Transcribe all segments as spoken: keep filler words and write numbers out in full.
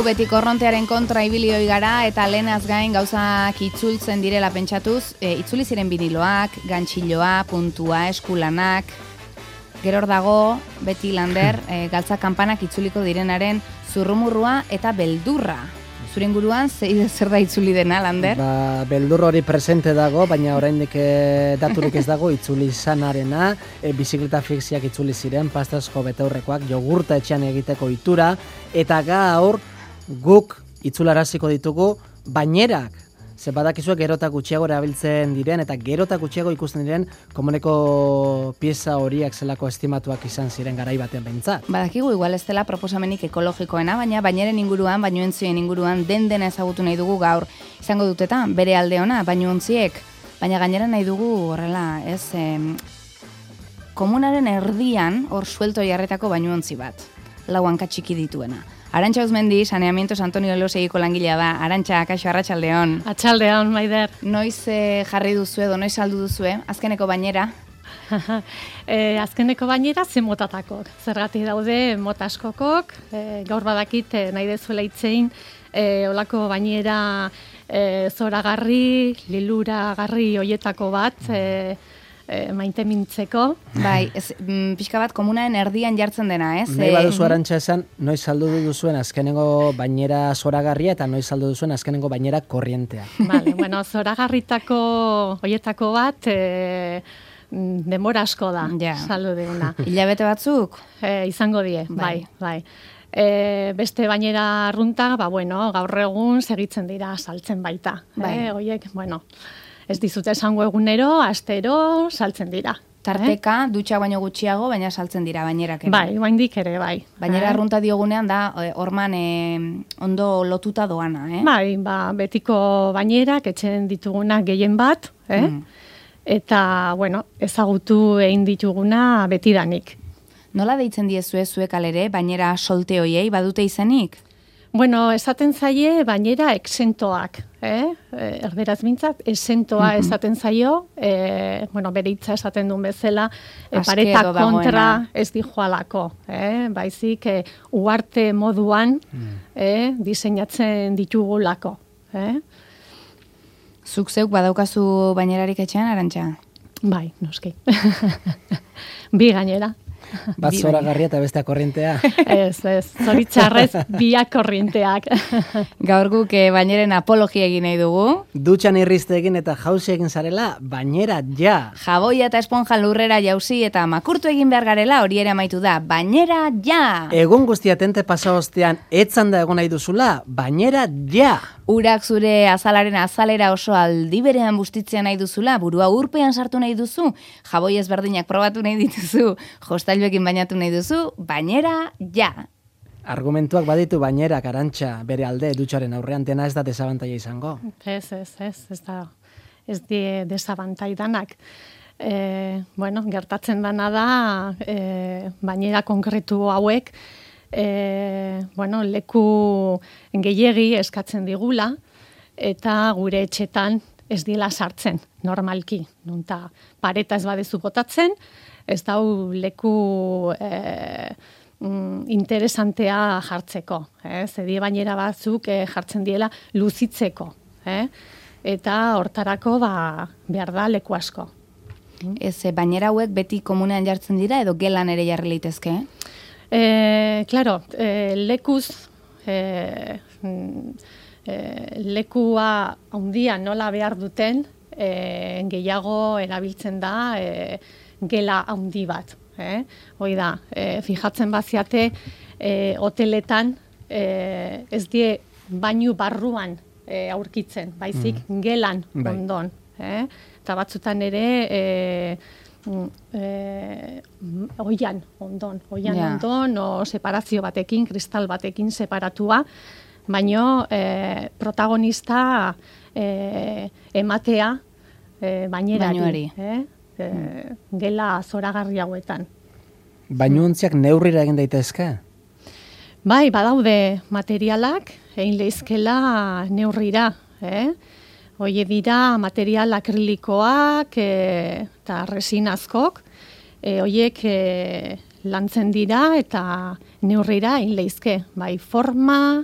beti korrontearen kontra ibilioi gara eta lehenaz gain gauzak itzultzen direla pentsatuz, e, itzuli ziren biniloak, gantxiloa, puntua, eskulanak, gero hor dago, beti Lander, e, galtza kanpanak itzuliko direnaren zurrumurrua eta beldurra. Zure inguruan, zer da itzuli dena, Lander? Ba, beldur hori presente dago, baina oraindik e, daturik ez dago itzuli izanarena, e, bizikleta fixiak itzuli ziren, pastazko betaurrekoak, jogurta etxean egiteko itura, eta gaur guk itzularaziko ditugu bainerak. Ze badakizuek gero eta gutxiago erabiltzen diren, eta gero eta gutxiago ikusten diren komuneko pieza horiak zelako estimatuak izan ziren garai batean behintzat. Badakigu igual ez dela proposamenik ekologikoena, baina baineren inguruan, bainuontzien inguruan den dena ezagutu nahi dugu gaur. Izango dutetan, bere alde ona, bainuontziek, baina gainera nahi dugu horrela, ez, em, komunaren erdian hor suelto jarretako bainuontzi bat, lau hanka txiki dituena. Arantxa Uzmendi, Saneamientos Antonio Elosegiko langilea da. Arantxa, kaixo, arratsaldeon. Atxaldeon, Maider. Noiz eh, jarri duzu edo, noiz saldu duzu, azkeneko bainera? e, azkeneko bainera ze motatakok. Zergatik daude mota askokok, e, gaur badakit e, nahi dezuela itzein, e, olako bainera e, zoragarri, liluragarri hoietako bat, e, E, maite mintzeko. Bai, ez, mm, pixka bat komunaren erdian jartzen dena, ez? Nahi baduzu Arantxa esan, noiz saldu duzuen azkenengo bainera zoragarria eta noiz saldu duzuen azkenengo bainera korrientea. Vale, bueno, zoragarritako hoietako bat e, denbora asko da, ja. Saldu diguna. Hilabete batzuk? E, izango die, bai, bai. E, beste bainera arrunta, ba, bueno, gaur egun segitzen dira saltzen baita. Bai. E, oiek, bueno, ez dizute esango egunero, astero, saltzen dira. Tarteka, eh? Dutxa baino gutxiago, baina saltzen dira bainerak ere. Bai, baindik ere, bai. Bainera eh? arrunta diogunean da, horman e, ondo lotuta doana, eh? Bai, ba, betiko bainerak, etxen ditugunak gehien bat, eh? Mm. Eta, bueno, ezagutu egin dituguna betidanik. Nola deitzen diezue zuek alere, bainera solte hoiei, badute izenik? Bueno, esaten zaie bainera exentoak, eh? Erderaz mintzat, exentoa mm-hmm. esaten zaio, eh, bueno, bere hitza esaten duen bezala, eh, pareta kontra ez dijoalako, eh? Baizik, eh, uarte moduan mm. eh, diseinatzen ditugulako. Eh? Zuk zeuk badaukazu bainerarik etxean, Arantxa? Bai, noski. Bi gainera. Bat zoragarria eta bestea korrientea. Ez, ez, zoritxarrez biak korrienteak. Gaur guk eh, baineren apologia egin nahi dugu. Dutxan irrizte egin eta jauzi egin zarela, bainera ja. Jaboia eta esponja lurrera jauzi eta makurtu egin behar garela hori ere amaitu da. Bainera ja! Egun guztia tente pasa ostean etzan da egon nahi duzula, bainera ja! Urak zure azalaren azalera oso aldi berean bustitzea nahi duzula, burua urpean sartu nahi duzu, jaboi ezberdinak probatu nahi dituzu, jostailuekin bainatu nahi duzu, bainera ja! Argumentuak baditu bainerak, Arantxa, bere alde dutxaren aurrean, dena ez da desabantaia izango. Ez, ez, ez, ez da, ez die desabantai danak. E, bueno, gertatzen dana da, e, bainera konkretu hauek, E, bueno, leku gehiegi eskatzen digula eta gure etxetan ez dila sartzen, normalki. Nunta pareta ez badezu botatzen, ez dau leku e, mm, interesantea jartzeko. Eh? Zedi bainera batzuk e, jartzen diela luzitzeko. Eh? Eta hortarako ba, behar da leku asko. Ez, bainera hauek beti komunean jartzen dira edo gelan ere jarri litezke, eh? Eh, claro, eh, lekuz, eh, eh, lekua handia nola behar duten, eh, gehiago erabiltzen da eh, gela handi bat. Eh? Hoi da, eh, fijatzen baziate, eh, hoteletan eh, ez die bainu barruan eh, aurkitzen, baizik mm. gelan ondon. Eh? Eta batzutan ere... Eh, Eh, oian ondon, oian yeah. ondon, o separazio batekin, kristal batekin separatua, baino eh, protagonista eh, ematea eh, bainerari, eh? eh, gela zoragarri hauetan. Bainuontziak neurrira egin daitezke? Bai, badaude materialak, egin lehizkela neurrira, eh? Hoie dira material akrilikoak e, eta resinazkok, e, hoiek e, lantzen dira eta neurrira egin lehizke. Bai, forma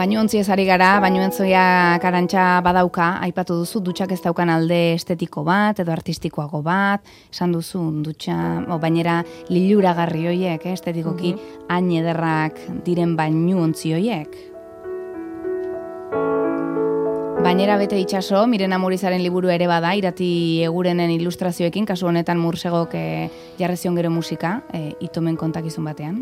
Bainuontziez ari gara, bainuontziak Arantxa badauka, aipatu duzu, dutxak ez daukan alde estetiko bat, edo artistikoago bat, esan duzu, dutxa, o, bainera liluragarri hoiek, eh, estetikoki, mm-hmm. hain ederrak diren bainuontzi hoiek. Bainera bete itxaso, Miren Amurizaren liburu ere bada, Irati Egurenen ilustrazioekin, kasu honetan Mursegok eh, jarri zion gero musika, eh, itomen kontakizun batean.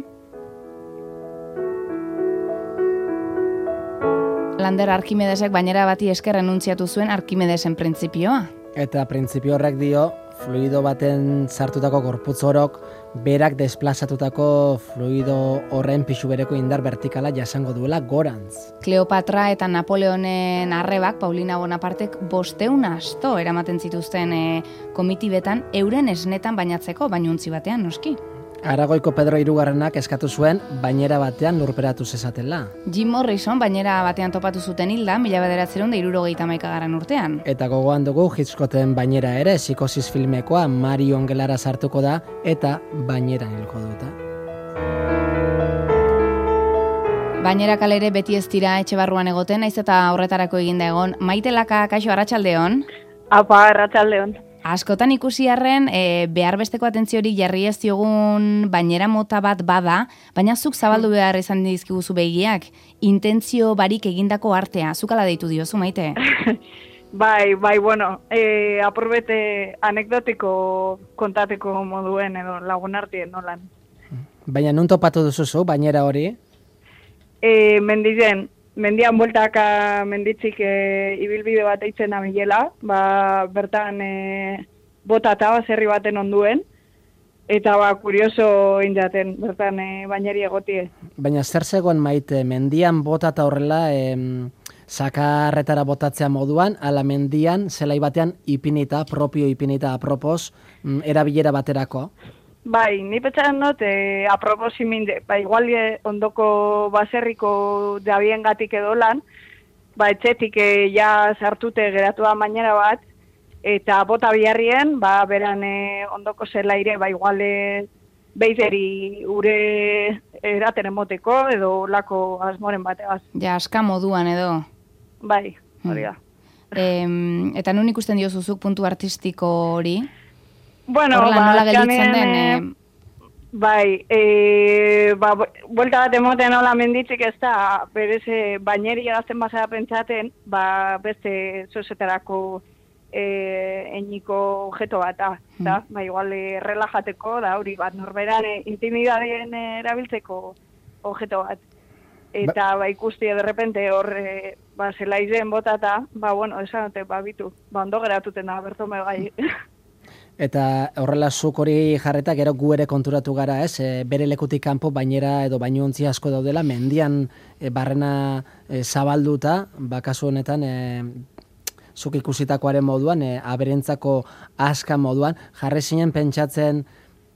Lander Arkimedesek bainera bati esker renuntziatu zuen Arkimedesen printzipioa. Eta printzipio horrek dio, fluido baten sartutako gorputz orok, berak desplazatutako fluido horren pixu bereko indar vertikala jasango duela gorantz. Kleopatra eta Napoleonen arrebak, Paulina Bonapartek bosteun asto eramaten zituzten e, komitibetan euren esnetan bainatzeko, bainuntzi batean, noski. Aragoiko Pedro Hirugarrenak eskatu zuen bainera batean lurperatu zezatela. Jim Morrison bainera batean topatu zuten hilda, mila bederatzeron da hirurogeita hamaikagarren urtean. Eta gogoan dugu Hitchcocken bainera ere, Psikosis filmekoa Marion gelara sartuko da eta baineran hilko dute. Bainera kalere beti ez dira etxe barruan egoten, naiz eta horretarako eginda egon. Maite Laka, kaixo, arratsaldeon. Apa, arratsaldeon. Askotan ikusi arren, e, behar besteko atentziorik jarri ez diogun bainera mota bat bada, baina zuk zabaldu behar izan dizkiguzu begiak, intentzio barik egindako artea, zuk ala deitu diozu, Maite? Bai, bai, bueno, e, apurbete anekdotiko kontateko moduen edo lagun artien nolan. Baina nun topatu duzuzu, bainera hori? E, mendizen, mendian bueltaka menditzik e, ibilbide bat eitzen amilela, ba, bertan e, bota eta baserri baten onduen, eta ba, kurioso indaten, bertan e, baineri egotie. Baina zer zegoen, Maite, mendian bota eta horrela em, sakarretara botatzea moduan, ala mendian zelai batean ipinita, propio ipinita apropos, mm, erabilera baterako? Bai, ni petxaren dut, e, aproposi minde, ba, igual e, ondoko baserriko dabien gatik edo lan, ba, etxetik e, ja sartute geratu da bainera bat, eta bota biharrien, ba, beran e, ondoko zelaire, ba, igual e, beizeri ure eraten emoteko, edo lako asmoren bateaz. Ja, aska moduan edo. Bai, hori da. Hmm. E, eta nun ikusten diozuzuk puntu artistiko hori? Bueno, Horrela, ba, nola gelditzen den... E... Bai, e, ba, buelta bat emoten hola menditzik ez da, berez baineri egazten bazara pentsaten, ba, beste zozetarako e, eniko objeto bat, da, mm. ba, igual e, relajateko, da, hori bat, norberan e, intimidadien erabiltzeko objeto bat. Eta, ba, ikusti, derrepente hor, e, ba, zela izen botata, ba, bueno, esan dute, ba, bitu, ba, ondo geratuten da, bertome gai. Eta horrela zuk hori jarreta gero gu ere konturatu gara, ez? E, bere lekutik kanpo bainera edo bainuontzi asko daudela, mendian e, barrena e, zabalduta, bakasu honetan e, zuk ikusitakoaren moduan, e, aberentzako aska moduan, jarri zinen pentsatzen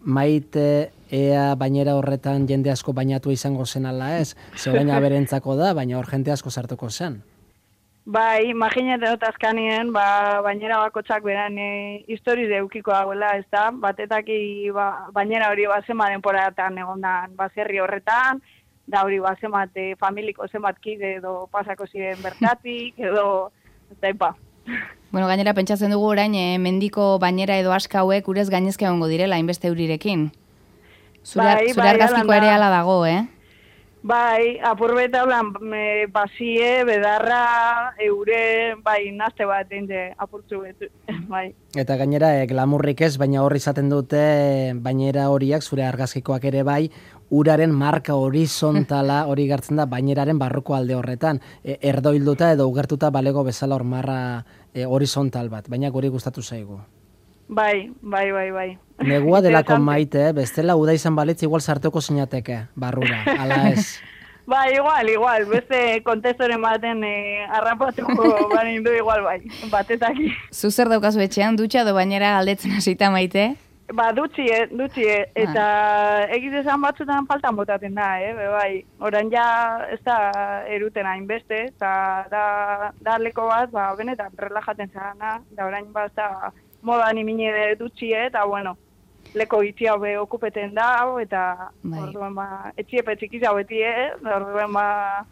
Maite ea bainera horretan jende asko bainatu izango zen ala ez? Zegoen aberentzako da, baina hor jente asko sartuko zen. Bai, imaginete dut azkanien, ba, bainera bakotxak beran e, historiz eukiko dagoela, ez da? Batetaki ba, bainera hori bazema denporatan egondan baserri horretan, da hori bazemate familiko zenbat kide edo pasako ziren bertatik, edo, ez da, ipa. Bueno, gainera pentsatzen dugu orain, e, mendiko bainera edo aska hauek urez gainezka egongo direla, hainbeste eurirekin. Zure, bai, zure bai, argazkiko ere ala dago, eh? Bai, apurbeta blan, me, basie, bedarra, eure, bai, nazte bat, ente, apurtzu betu, bai. Eta gainera, e, glamurrik ez, baina hor izaten dute bainera horiak, zure argazkikoak ere bai, uraren marka horizontala hori gartzen da baineraren barruko alde horretan. E, erdoilduta edo ugertuta balego bezala hor marra e, horizontal bat, baina guri gustatu zaigu. Bai, bai, bai, bai. Negua delako Maite, bestela uda izan balitz igual sartuko sinateke, barrura, ala ez. Ba, igual, igual, beste kontestoren baten eh, arrapatuko banin du igual, bai, batetaki. Zuzer daukazu etxean, dutxa edo bainera galdetzen hasita, Maite? Ba, dutxie, dutxie, eta ah. egitezan batzutan faltan botaten da, eh, be, bai. Orain ja ez da eruten hainbeste, eta da, da leko bat, ba, benetan relajaten zana, da orain bat da modan imine dutxie, eta bueno, leko itzi hau be okupeten da, eta Bai. orduen ba, etxiepe txikiza beti, eh? Orduen ba,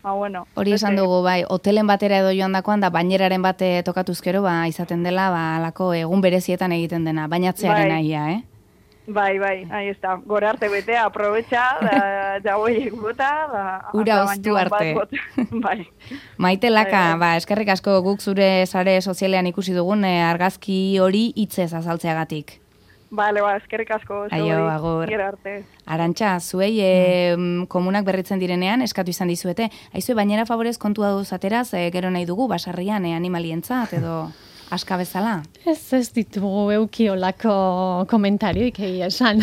ba bueno. Hori esan beste- dugu, bai, hotelen batera edo joan dakoan, da baineraren bate tokatuzkero, ba, izaten dela, ba, alako egun berezietan egiten dena, bainatzearen Bai. aia, eh? Bai, bai, ahí está. Gora arte betea, aprobetxa, da, jagoiek bota, da... Ura hasta oztu baino bat arte. bota. Bai. Maite Laka, Bai, bai. ba, eskerrik asko guk zure sare sozialean ikusi dugun eh, argazki hori hitzez azaltzeagatik. Bale, ba, eskerrik asko. Aio, zuei. agur. Gero arte. Arantxa, zuei e, komunak berritzen direnean eskatu izan dizuete. Aizue, bainera favorez kontua duz ateraz, e, gero nahi dugu, basarrian e, animalientzat edo aska bezala. Ez ez ditugu eukiolako komentarioik egia esan.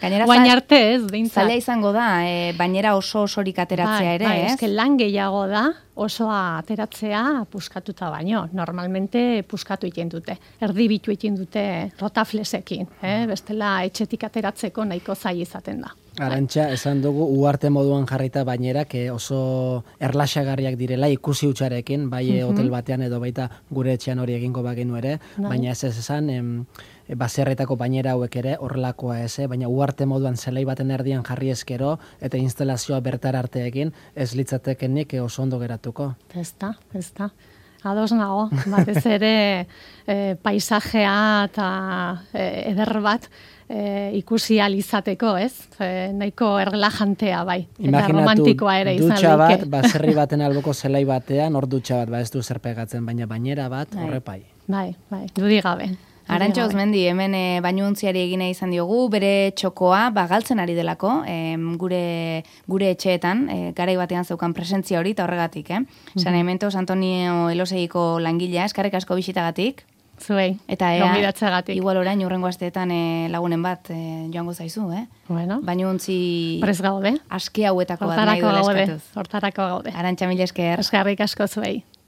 Gainera, Guain za- arte ez, behintzat. Zaila izango da, e, bainera oso osorik ateratzea ere, bai, ez? eske lan gehiago da, osoa ateratzea puskatuta baino. Normalmente puskatu egiten dute. Erdibitu egiten dute rotaflesekin. Eh? Bestela etxetik ateratzeko nahiko zail izaten da. Arantxa, esan dugu, uarte moduan jarrita bainerak eh, oso erlaxagarriak direla ikusi hutsarekin, bai Mhm. hotel batean edo baita gure etxean hori egingo bagenu ere, Bai. baina ez ez esan, em, e, baserretako bainera hauek ere horrelakoa ez, eh? Baina uarte moduan zelai baten erdian jarri eskero eta instalazioa bertar arteekin ez litzatekenik eh, oso ondo geratuko. Ez da, ez da. Ados nago, batez ere e, paisajea eta e, eder bat e, ikusi ahal izateko, ez? E, nahiko erlajantea bai, eta romantikoa ere izan dutxa bat, daike. baserri baten alboko zelai batean, hor dutxa bat, ba ez du zer pegatzen, baina bainera bat, Bai. horrepai. Bai, bai, dudik gabe. Arantxa Dudik gabe. Osmendi, hemen e, bainuontziari egina izan diogu, bere txokoa bagaltzen ari delako, em, gure gure etxeetan, e, garai batean zeukan presentzia hori, eta horregatik, eh? San Hementos Antonio Eloseiko langilea, eskarrik asko bisitagatik, Zuei, eta ea, gonbidatzeagatik. igual orain urrengo asteetan e, lagunen bat e, joango zaizu, eh? Bueno, Bainuontzi prez gaude. aske hauetako bat nahi Hortarako duela gaude, eskatuz. hortarako gaude. Arantxa, mila esker. Eskerrik asko zuei.